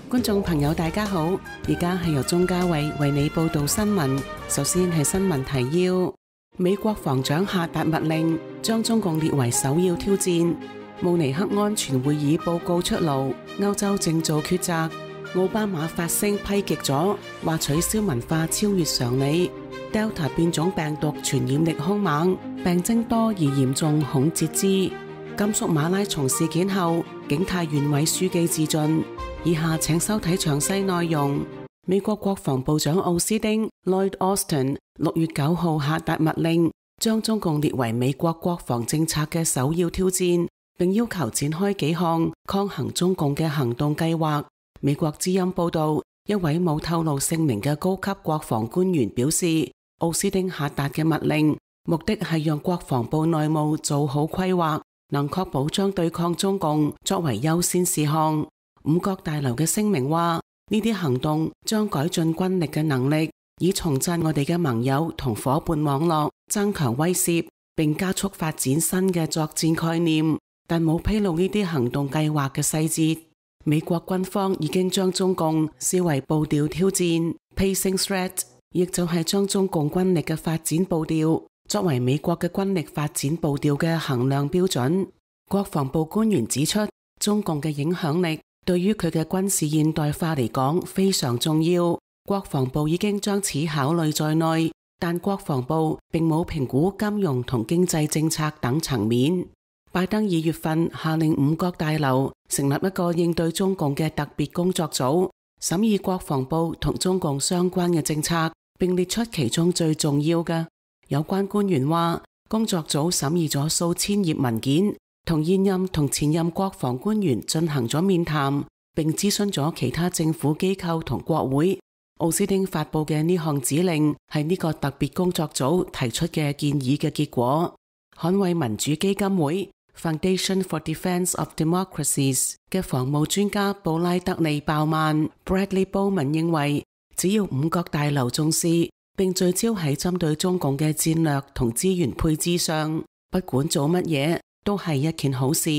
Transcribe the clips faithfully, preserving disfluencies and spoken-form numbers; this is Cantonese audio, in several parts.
觀眾朋友大家好，而家係由鍾嘉慧為你報道新聞。首先係新聞提要：美國防長下達密令，將中共列為首要挑戰。慕尼黑安全會議報告出爐，歐洲正做抉擇。奧巴馬發聲批極咗，話取消文化超越常理。Delta 變種病毒傳染力兇猛，病徵多而嚴重，恐截肢。甘肅馬拉松事件後，景泰縣委書記自盡。以下請收睇詳細內容。美國國防部長奧斯汀 Lloyd Austin 六月九號下達密令，將中共列為美國國防政策嘅首要挑戰，並要求展開幾項抗衡中共嘅行動計劃。美國之音報道，一位冇透露姓名嘅高級國防官員表示，奧斯汀下達嘅密令目的係讓國防部內務做好規劃，能確保將對抗中共作為優先事項。五角大樓嘅聲明話，呢啲行動將改進軍力嘅能力，以重振我哋嘅盟友同夥伴網絡，增強威懾，並加速發展新嘅作戰概念，但冇披露呢啲行動計劃嘅細節。美國軍方已經將中共視為步調挑戰 （pacing threat）， 亦就係將中共軍力嘅發展步調作為美國嘅軍力發展步調嘅衡量標準。國防部官員指出，中共嘅影響力對於佢嘅軍事現代化嚟講非常重要，國防部已經將此考慮在內，但國防部並冇評估金融同經濟政策等層面。拜登二月份下令五角大樓成立一個應對中共嘅特別工作組，審議國防部同中共相關嘅政策，並列出其中最重要嘅。有關官員話，工作組審議咗數千頁文件，同現任同前任國防官員進行咗面談，並諮詢咗其他政府機構同國會。奧斯汀發佈嘅呢項指令係呢個特別工作組提出嘅建議嘅結果。捍衛民主基金會 Foundation for Defense of Democracies 嘅防務專家布拉德利鮑曼 Bradley Bowman 認為，只要五角大樓重視並聚焦喺針對中共嘅戰略同資源配置上，不管做乜嘢都係一件好事。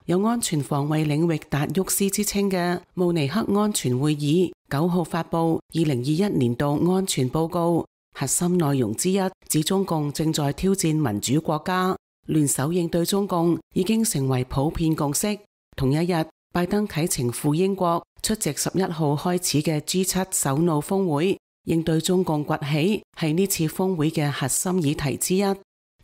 有安全防衛領域達沃斯之稱嘅慕尼黑安全會議九號發佈二零二一年度安全報告，核心內容之一指中共正在挑戰民主國家，聯手應對中共已經成為普遍共識。同一日，拜登啟程赴英國出席十一號開始嘅 G 七 首腦峰會。應對中共崛起係呢次峰會嘅核心議題之一。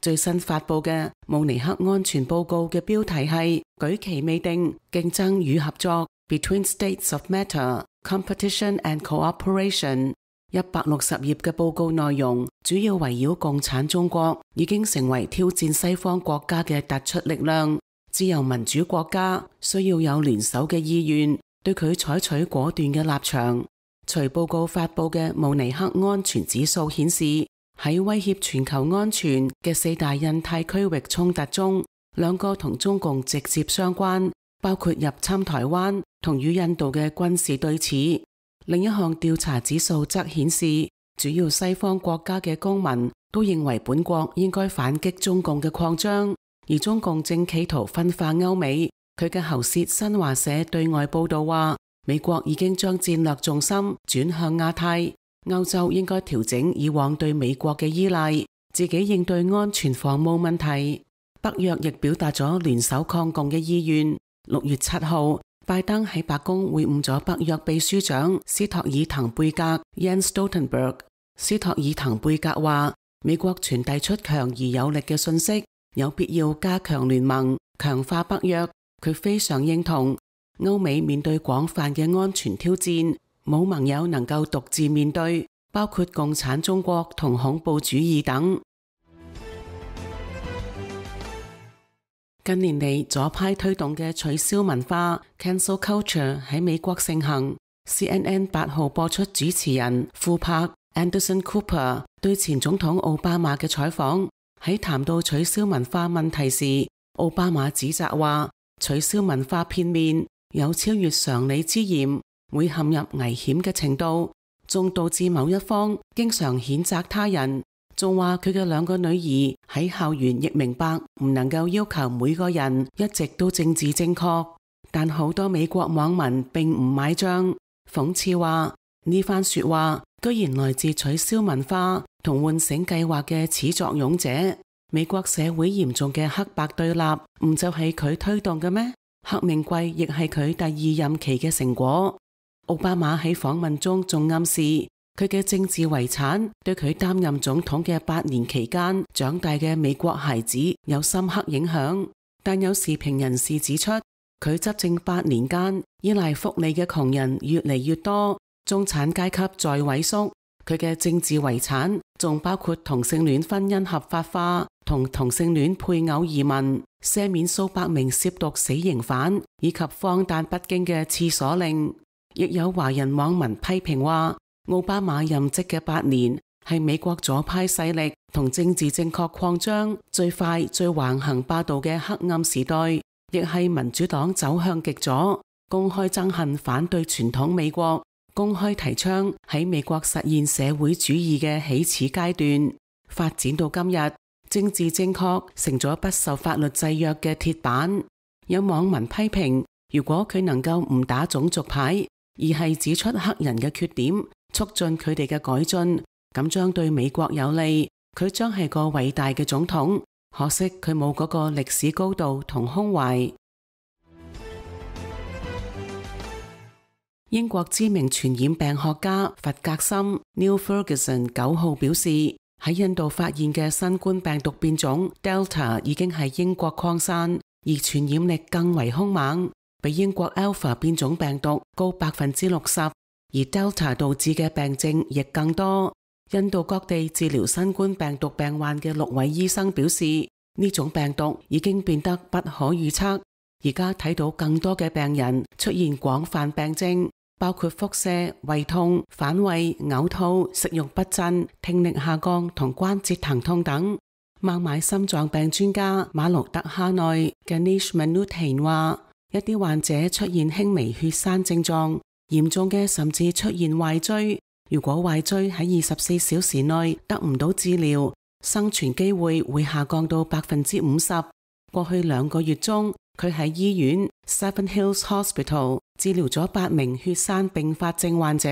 最新發佈嘅慕尼黑安全報告嘅標題係舉棋未定，競爭與合作 Between States of Matter, Competition and Cooperation。一百六十頁嘅報告內容主要圍繞共產中國已經成為挑戰西方國家嘅突出力量，自由民主國家需要有聯手嘅意願，對佢採取果斷嘅立場。隨報告發佈嘅慕尼黑安全指數顯示，喺威脅全球安全嘅四大印太區域衝突中，兩個同中共直接相關，包括入侵台灣同與印度嘅軍事對峙。另一項調查指數則顯示，主要西方國家嘅公民都認為本國應該反擊中共嘅擴張，而中共正企圖分化歐美。佢嘅喉舌新華社對外報道話，美國已經將戰略重心轉向亞太，歐洲應該調整以往對美國嘅依賴，自己應對安全防務問題。北約亦表達咗聯手抗共嘅意願。六月七號，拜登喺白宮會晤咗北約秘書長斯托爾滕貝格 Jens Stoltenberg。斯托爾滕貝格話，美國傳遞出強而有力嘅信息，有必要加強聯盟，強化北約。佢非常認同歐美面對廣泛嘅安全挑戰，冇盟友能夠獨自面對，包括共產中國同恐怖主義等。近年嚟，左派推動嘅取消文化 （cancel culture） 喺美國盛行。C N N 八號播出主持人庫柏 Anderson Cooper 對前總統奧巴馬嘅採訪，喺談到取消文化問題時，奧巴馬指責話，取消文化片面，有超越常理之嫌，會陷入危險嘅程度，仲導致某一方經常譴責他人，仲話佢嘅兩個女兒喺校園亦明白唔能夠要求每個人一直都政治正確，但好多美國網民並唔買賬，諷刺話呢番說話居然來自取消文化同喚醒計劃嘅始作俑者。美國社會嚴重嘅黑白對立唔就係佢推動嘅咩？黑命貴亦係佢第二任期嘅成果。奧巴馬喺訪問中仲暗示佢嘅政治遺產對佢擔任總統嘅八年期間長大嘅美國孩子有深刻影響，但有時評人士指出，佢執政八年間依賴福利嘅窮人越嚟越多，中產階級在萎縮。佢嘅政治遺產仲包括同性戀婚姻合法化同同性戀配偶移民、赦免數百名涉毒死刑犯以及荒誕不經嘅廁所令。亦有華人網民批評話，奧巴馬任職嘅八年係美國左派勢力同政治正確擴張最快最橫行霸道嘅黑暗時代，亦係民主黨走向極左，公開憎恨反對傳統美國，公開提倡喺美國實現社會主義嘅起始階段。發展到今日，政治正確成咗不受法律制約嘅鐵板。有網民批評，如果佢能夠唔打種族牌，而係指出黑人嘅缺點，促進佢哋嘅改進，咁將對美國有利，佢將係個偉大嘅總統。可惜佢冇嗰個歷史高度同胸懷。英國知名傳染病學家弗格森 Neil Ferguson 九號表示，喺印度發現嘅新冠病毒變種 Delta 已經喺英國擴散，而傳染力更為兇猛，比英國 Alpha 變種病毒高百分之六十，而 Delta 導致嘅病症亦更多。印度各地治療新冠病毒病患嘅六位醫生表示，呢種病毒已經變得不可預測，而家睇到更多嘅病人出現廣泛病症，包括腹瀉、胃痛、反胃、嘔吐、食慾不振、聽力下降同關節疼痛等。孟買心臟病專家馬盧德哈內 Ganesh Manuthan 話，一啲患者出現輕微血栓症狀，嚴重嘅甚至出現壞疽。如果壞疽喺二十四小時內得唔到治療，生存機會會下降到百分之五十。過去兩個月中，佢喺醫院 Seven Hills Hospital 治療咗八名血栓併發症患者，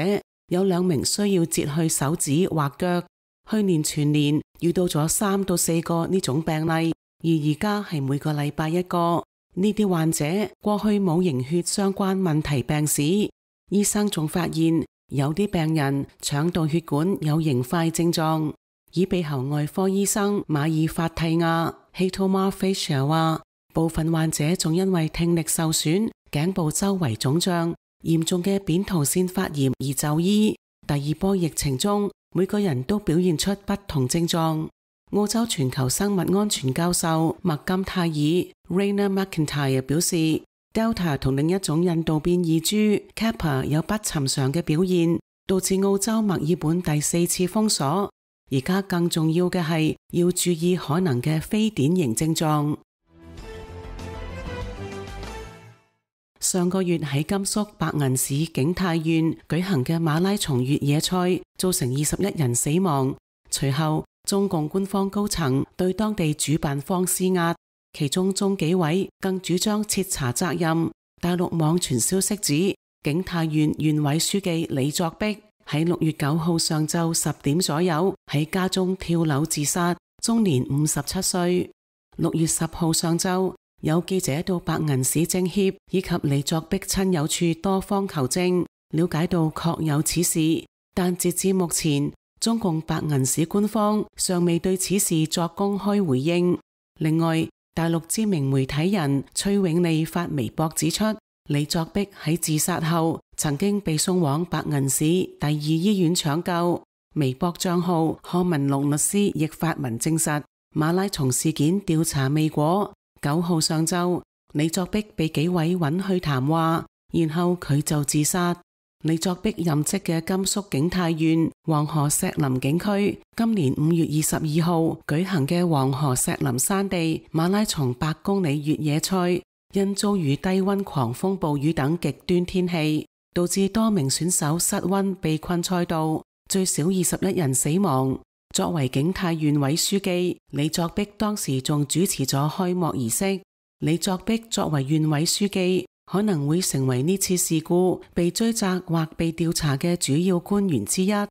有兩名需要截去手指或腳。去年全年遇到咗三到四個呢種病例，而而家係每個禮拜一個。呢啲患者過去冇凝血相關問題病史。醫生仲發現有啲病人腸道血管有凝塊症狀。耳鼻喉外科醫生馬爾法蒂亞 Hitomar Fisher 話，部分患者仲因為聽力受損、頸部周圍腫脹、嚴重嘅扁桃腺發炎而就醫。第二波疫情中，每個人都表現出不同症狀。澳洲全球生物安全教授麥金泰爾 Rainer McIntyre 表示， Delta 同另一種印度變異株 Kappa 有不尋常嘅表現，導致澳洲墨爾本第四次封鎖。而家更重要嘅係要注意可能嘅非典型症狀。上個月喺甘肅白銀市景泰縣舉行嘅馬拉松越野賽造成二十一人死亡，隨後中共官方高層對當地主辦方施壓，其中中紀委更主張徹查責任。大陸網傳消息指，景泰縣縣委書記李作碧喺六月九號上晝十點左右喺家中跳樓自殺，終年五十七歲。六月十號上晝，有記者到白銀市政協以及李作碧親友處多方求證，了解到確有此事，但截至目前，中共白銀市官方尚未對此事作公開回應。另外，大陸知名媒體人崔永利發微博指出，李作碧喺自殺後曾經被送往白銀市第二醫院搶救。微博賬號賀文龍律師亦發文證實馬拉松事件調查未果。九號上晝，李作碧被紀委允去談話，然後佢就自殺。李作碧任職嘅甘肅景泰縣黃河石林景區，今年五月二十二號舉行嘅黃河石林山地馬拉松百公里越野賽，因遭遇低溫狂風暴雨等極端天氣，導致多名選手失溫被困賽道，最少二十一人死亡。作為景泰縣委書記，李作壁當時仲主持咗開幕儀式。李作壁作為縣委書記，可能會成為呢次事故被追責或被調查嘅主要官員之一。呢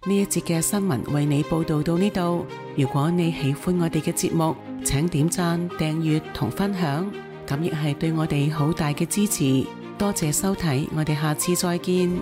一節嘅新聞為你報道到呢度。如果你喜歡我哋嘅節目，請點讚、訂閱同分享，咁亦係對我哋好大嘅支持。多謝收睇，我哋下次再見。